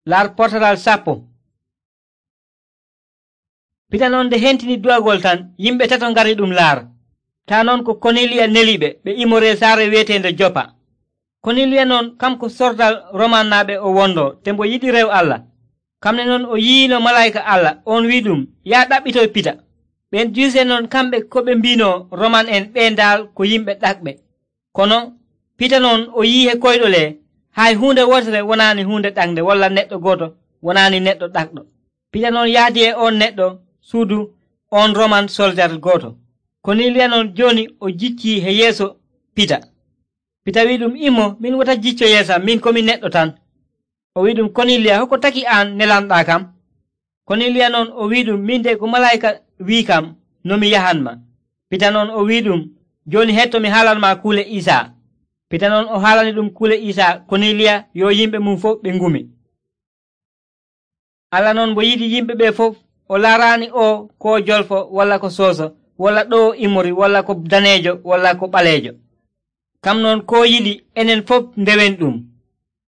Laar portaral 10. Pita noon nde hentini du'agol tan, yimɓe tato ngari ɗum laara. Taa noon ko Koniliya neliɓe ɓe imoree saare wi'eteende Jopa. Koniliya noon kanko sordal Romannaaɓe o wondoo, te mbo yiɗi rew Allah. Kamne noon o yiino malayika Allah on wi'uɗum, “Yaa ɗaɓɓitoy Pita.” Ɓen Juyse noon kamɓe ko ɓe mbiinoo Roman en ɓee ndaal ko yimɓe ɗaɓɓe. Kono Pita noon o yi'i e koyɗol hay huunde wotere wonaani huunde ɗaɓde walla neɗɗo gooto wonaani neɗɗo ɗaɓɗo. Pita noon yahdi e on neɗɗo suudu on Roman soldar gooto. Koniliya noon jooni o jiccii e yeeso Pita. Pita wi'i ɗum, “Immo, min wota jicco yeesam, min komi neɗɗo tan.” O wi'i ɗum, “Koniliya, hoko taki aan nelanɗaa kam?” Koniliya noon o wi'i ɗum, “Min de ko malayika wi'i kam no mi yahanma.” Pita noon o wi'i ɗum, “Jooni hetto mi haalanmaa kuule Iisaa.” Pita noon o haalani ɗum kuule Iisaa Koniliya yo yimɓe mum fof ɓe ngumi. Allah noon mbo yiɗi yimɓe ɓee fof, o laaraani o ko jolfo walla ko sooso walla ɗoo imori walla ko daneejo walla ko ɓaleejo. Kam noon koo yiɗi enen fof ndewen ɗum.